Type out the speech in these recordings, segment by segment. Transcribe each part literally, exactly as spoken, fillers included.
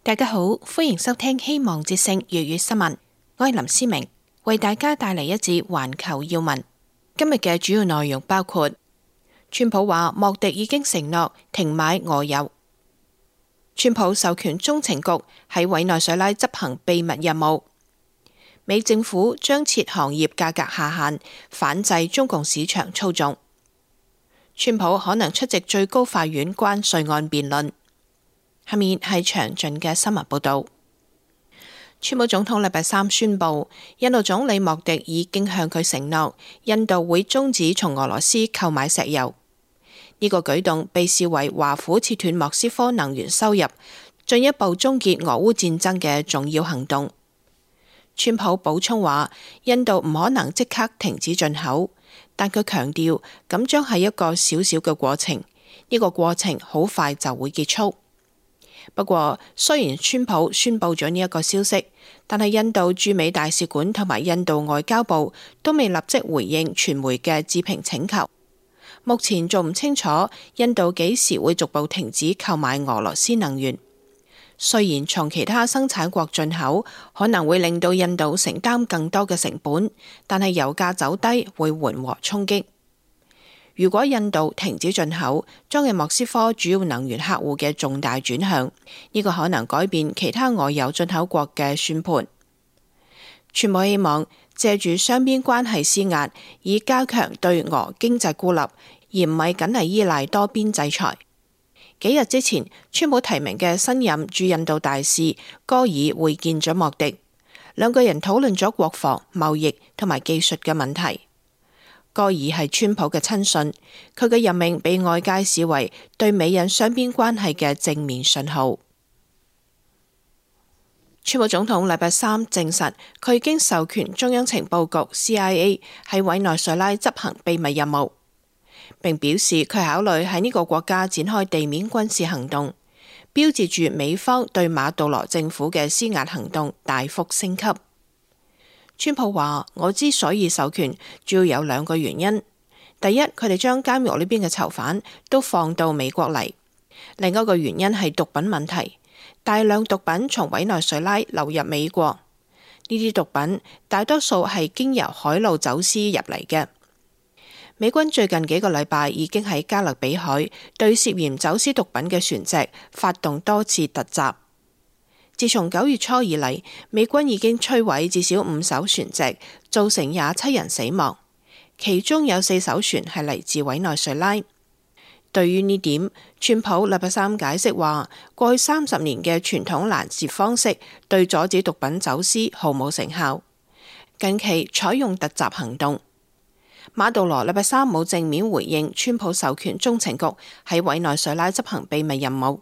大家好，歡迎收聽希望之聲粵語新聞。我係林思明，為大家帶嚟一節環球要聞。今日嘅主要內容包括：川普話莫迪已經承諾停買俄油；川普授權中情局喺委內瑞拉執行秘密任務；美政府將設行業價格下限，反制中共市場操縱；川普可能出席最高法院關稅案辯論。下面係詳盡嘅新聞報道。川普總統禮拜三宣布，印度總理莫迪已經向佢承諾，印度會終止從俄羅斯購買石油。呢個舉動被視為華府切斷莫斯科能源收入，進一步終結俄烏戰爭嘅重要行動。川普補充話，印度唔可能即刻停止進口，但佢強調咁將係一個小小嘅過程，呢個過程好快就會結束。不過，雖然川普宣布咗呢一個消息，但係印度駐美大使館同埋印度外交部都未立即回應傳媒嘅置評請求。目前仲唔清楚印度幾時會逐步停止購買俄羅斯能源。雖然從其他生產國進口可能會令到印度承擔更多嘅成本，但係油價走低會緩和衝擊。如果印度停止進口，將係莫斯科主要能源客戶嘅重大轉向，呢個可能改變其他俄油進口國嘅算盤。川普希望借住雙邊關係施壓，以加強對俄經濟孤立，而唔係僅係依賴多邊制裁。幾日之前，川普提名嘅新任駐印度大使戈爾會見咗莫迪，兩個人討論咗國防、貿易同埋技術嘅問題。戈爾係川普嘅親信，佢嘅任命被外界視為對美印雙邊關係嘅正面信號。川普總統禮拜三證實，佢已經授權中央情報局 C I A 喺委內瑞拉執行秘密任務，並表示佢考慮喺呢個國家展開地面軍事行動，標誌住美方對馬杜羅政府嘅施壓行動大幅升級。川普話：我之所以授權，主要有兩個原因。第一，佢哋將監獄呢邊嘅囚犯都放到美國嚟；另一個原因係毒品問題，大量毒品從委內瑞拉流入美國。呢啲毒品大多數係經由海路走私入嚟嘅。美軍最近幾個禮拜已經喺加勒比海對涉嫌走私毒品嘅船隻發動多次突襲。自從九月初以嚟，美軍已經摧毀至少五艘船隻，造成廿七人死亡，其中有四艘船係嚟自委內瑞拉。對於呢點，川普禮拜三解釋話，過去三十年嘅傳統攔截方式對阻止毒品走私毫無成效，近期採用突襲行動。馬杜羅禮拜三冇正面回應川普授權中情局喺委內瑞拉執行秘密任務，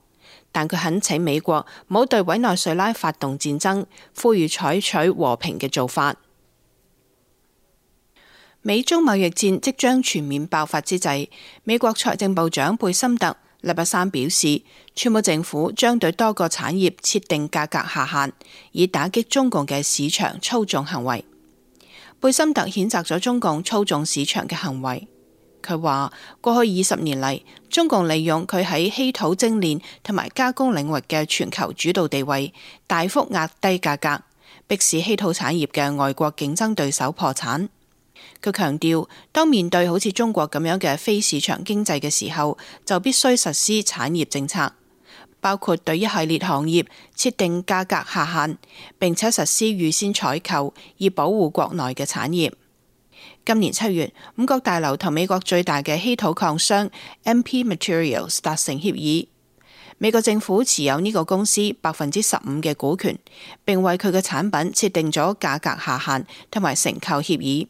但佢懇請美國唔好對委內瑞拉發動戰爭，呼籲採取和平嘅做法。美中貿易戰即將全面爆發之際，美國財政部長貝森特禮拜三表示，川普政府將對多個產業設定價格下限，以打擊中共嘅市場操縱行為。貝森特譴責咗中共操縱市場嘅行為。佢話：過去二十年嚟，中共利用佢喺稀土精煉同埋加工領域嘅全球主導地位，大幅壓低價格，迫使稀土產業嘅外國競爭對手破產。佢強調，當面對好似中國咁樣嘅非市場經濟嘅時候，就必須實施產業政策，包括對一系列行業設定價格下限，並且實施預先採購，以保護國內嘅產業。今年七月，五角大樓同美國最大嘅稀土礦商 M P Materials 達成協議，美國政府持有呢個公司百分之十五嘅股權，並為佢嘅產品設定咗價格下限同埋承購協議。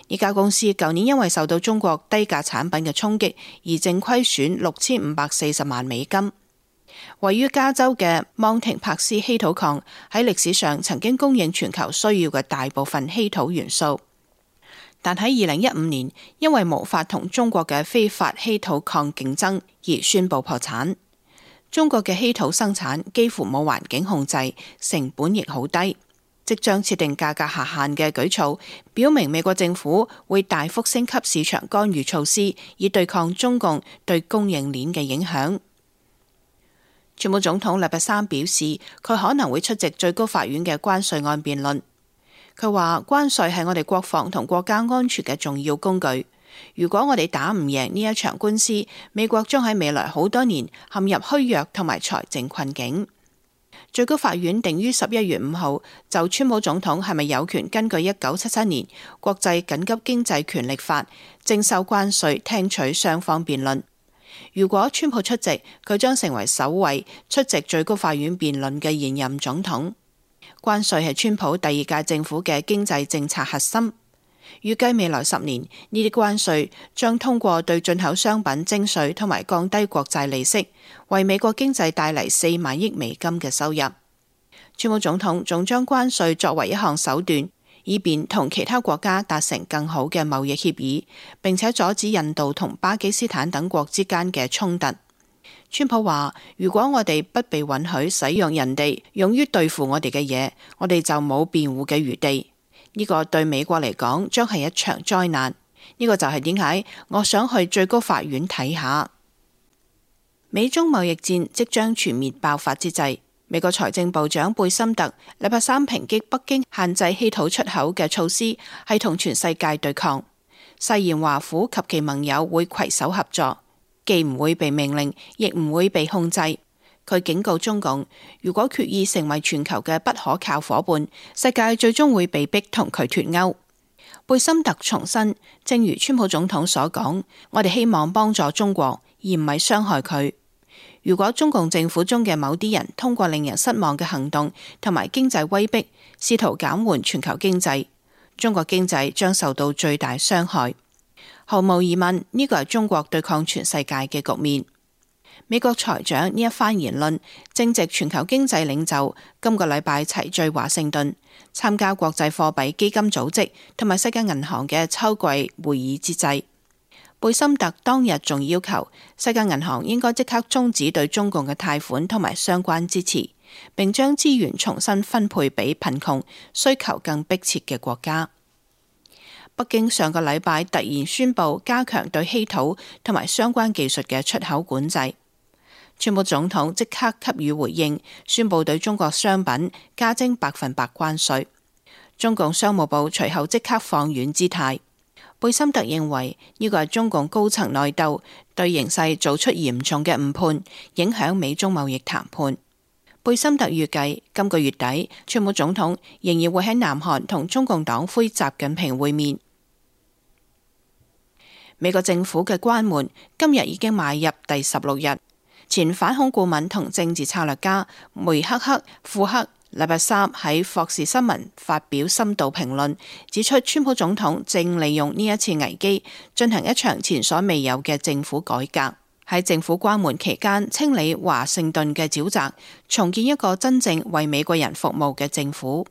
呢家公司舊年因為受到中國低價產品嘅衝擊，而淨虧損六千五百四十萬美金。位於加州嘅芒廷帕斯稀土礦喺歷史上曾經供應全球需要嘅大部分稀土元素，但喺二零一五年因為無法同中國嘅非法稀土礦競爭而宣布破產。中國嘅稀土生產幾乎冇環境控制，成本亦好低。即將設定價格下限嘅舉措，表明美國政府會大幅升級市場干預措施，以對抗中共對供應鏈嘅影響。川普總統禮拜三表示，佢可能會出席最高法院嘅關稅案辯論。佢話關稅係我哋國防同國家安全嘅重要工具。如果我哋打唔贏呢一場官司，美國將喺未來好多年陷入虛弱同埋財政困境。最高法院定於十一月五號就川普總統係咪有權根據一九七七年國際緊急經濟權力法徵收關稅，聽取雙方辯論。如果川普出席，佢將成為首位出席最高法院辯論嘅現任總統。關稅係川普第二屆政府嘅經濟政策核心。預計未來十年，呢啲關稅將通過對進口商品徵稅同埋降低國債利息，為美國經濟帶嚟四萬億美金嘅收入。川普總統仲將關稅作為一項手段，以便同其他國家達成更好嘅貿易協議，並且阻止印度同巴基斯坦等國之間嘅衝突。川普話：如果我哋不被允許使用人哋用於對付我哋嘅嘢，我哋就冇辯護嘅餘地。呢個對美國嚟講將係一場災難。呢個就係點解我想去最高法院睇下。美中貿易戰即將全面爆發之際，美國財政部長貝森特禮拜三抨擊北京限制稀土出口嘅措施係同全世界對抗，誓言華府及其盟友會攜手合作，既唔會被命令，亦唔會被控制。佢警告中共，如果決意成為全球嘅不可靠夥伴，世界最終會被逼同佢脫鈎。貝森特重申，正如川普總統所講，我哋希望幫助中國，而唔係傷害佢。如果中共政府中嘅某啲人通過令人失望嘅行動同埋經濟威逼，試圖減緩全球經濟，中國經濟將受到最大傷害。毫無疑問，呢個係中國對抗全世界嘅局面。美國財長呢一番言論正值全球經濟領袖今個禮拜齊聚華盛頓參加國際貨幣基金組織同埋世界銀行嘅秋季會議之際。貝森特當日仲要求世界銀行應該即刻終止對中共嘅貸款同埋相關支持，並將資源重新分配俾貧窮、需求更迫切嘅國家。北京上個禮拜突然宣布加強對稀土同埋相關技術嘅出口管制。川普總統即刻給予回應，宣布對中國商品加徵百分百關稅。中共商務部隨後即刻放軟姿態。貝森特認為呢個係中共高層內鬥，對形勢做出嚴重嘅誤判，影響美中貿易談判。貝森特預計今個月底，川普總統仍然會喺南韓同中共黨魁習近平會面。美國政府嘅關門今日已經邁入第十六日。前反恐顧問同政治策略家梅克克庫克禮拜三喺霍士新聞發表深度評論，指出川普總統正利用呢一次危機進行一場前所未有嘅政府改革，喺政府關門期間清理華盛頓嘅沼澤，重建一個真正為美國人服務嘅政府。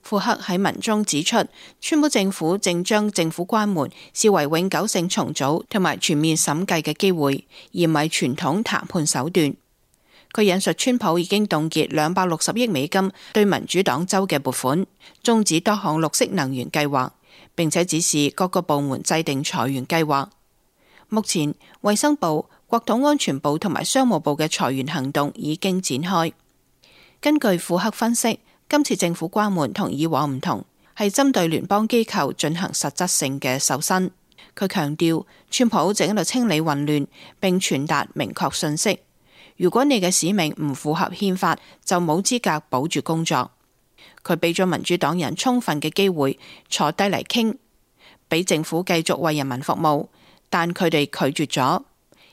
庫克喺文中指出，川普政府正將政府關門視為永久性重組同埋全面審計嘅機會，而唔係傳統談判手段。佢引述川普已經凍結兩百六十億美金對民主黨州嘅撥款，終止多項綠色能源計劃，並且指示各個部門制定裁員計劃。目前，衛生部、國土安全部同埋商務部嘅裁員行動已經展開。根據庫克分析，今次政府關門同以往唔同，係針對聯邦機構進行實質性嘅瘦身。佢強調，川普正喺度清理混亂，並傳達明確信息：如果你嘅使命唔符合憲法，就冇資格保住工作。佢俾咗民主黨人充分嘅機會坐低嚟傾，俾政府繼續為人民服務，但佢哋拒絕咗。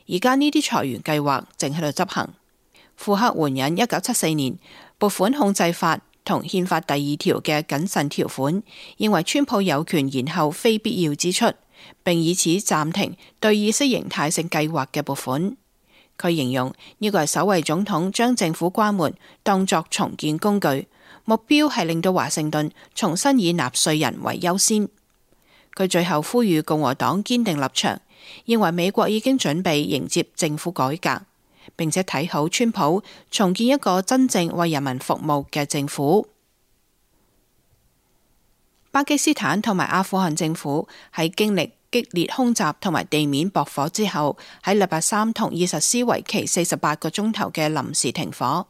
而家呢啲裁員計劃正喺度執行。庫克援引一九七四年撥款控制法同憲法第二條嘅謹慎條款，認為川普有權延後非必要支出，並以此暫停對意識形態性計劃嘅撥款。佢形容呢個係首位總統將政府關門當作重建工具，目標係令到華盛頓重新以納稅人為優先。佢最後呼籲共和黨堅定立場，認為美國已經準備迎接政府改革，並且睇好川普重建一個真正為人民服務嘅政府。巴基斯坦同埋阿富汗政府喺經歷激烈空襲同埋地面駁火之後，喺禮拜三同意實施為期四十八個鐘頭嘅臨時停火。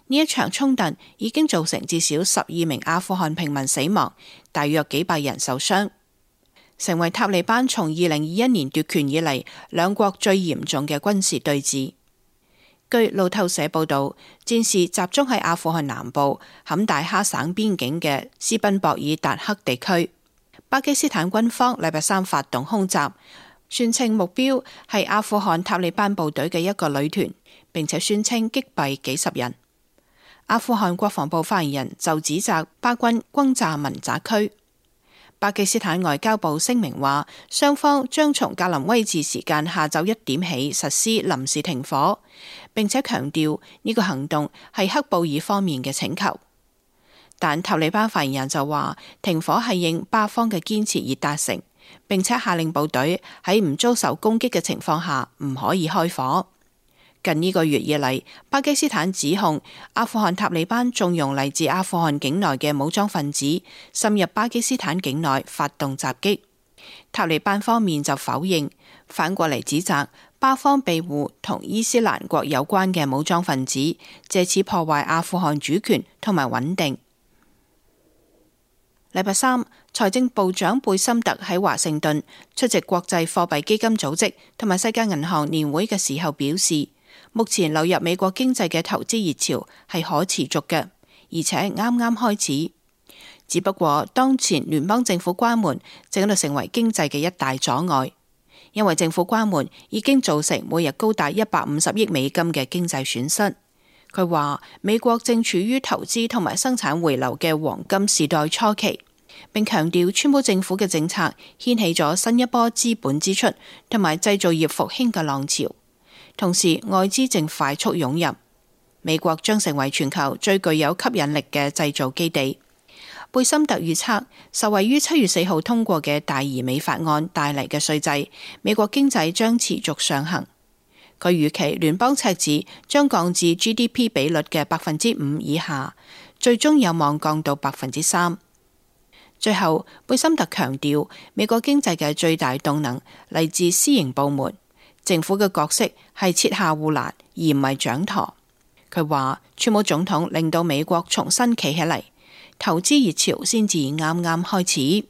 呢一場衝突已經造成至少十二名阿富汗平民死亡，大約幾百人受傷，成為塔利班從二零二一年奪權以嚟兩國最嚴重嘅軍事對峙。據路透社報道，戰事集中喺阿富汗南部坎大哈省邊境嘅斯賓博爾達克地區。巴基斯坦軍方禮拜三發動空襲，宣稱目標係阿富汗塔利班部隊嘅一個旅團，並且宣稱擊斃幾十人。阿富汗國防部發言人就指責巴軍轟炸民宅區。巴基斯坦外交部聲明話，雙方將從格林威治時間下晝一點起實施臨時停火，並且強調呢個行動係喀布爾方面嘅請求。但塔利班發言人就話，停火係應巴方嘅堅持而達成，並且下令部隊喺唔遭受攻擊嘅情況下唔可以開火。近呢個月以嚟，巴基斯坦指控阿富汗塔利班縱容嚟自阿富汗境內嘅武裝分子滲入巴基斯坦境內發動襲擊。塔利班方面就否認，反過嚟指責巴方庇護同伊斯蘭國有關嘅武裝分子，借此破壞阿富汗主權同埋穩定。禮拜三，財政部長貝森特喺華盛頓出席國際貨幣基金組織同埋世界銀行年會嘅時候表示，目前流入美國經濟嘅投資熱潮係可持續嘅，而且啱啱開始。只不過當前聯邦政府關門正喺度成為經濟嘅一大阻礙，因為政府關門已經造成每日高達一百五十億美金嘅經濟損失。佢話美國正處於投資同埋生產回流嘅黃金時代初期，並強調川普政府嘅政策掀起咗新一波資本支出同埋製造業復興嘅浪潮。同時，外資正快速湧入，美國將成為全球最具有吸引力嘅製造基地。貝森特預測，受惠於七月四號通過嘅大而美法案帶嚟嘅稅制，美國經濟將持續上行。佢預期聯邦赤字將降至 G D P 比率嘅百分之五以下，最終有望降到百分之三。最後，貝森特強調，美國經濟嘅最大動能嚟自私營部門，政府嘅角色係設下護欄，而唔係掌舵。佢話，川普總統令到美國重新企起嚟，投資熱潮先至啱啱開始。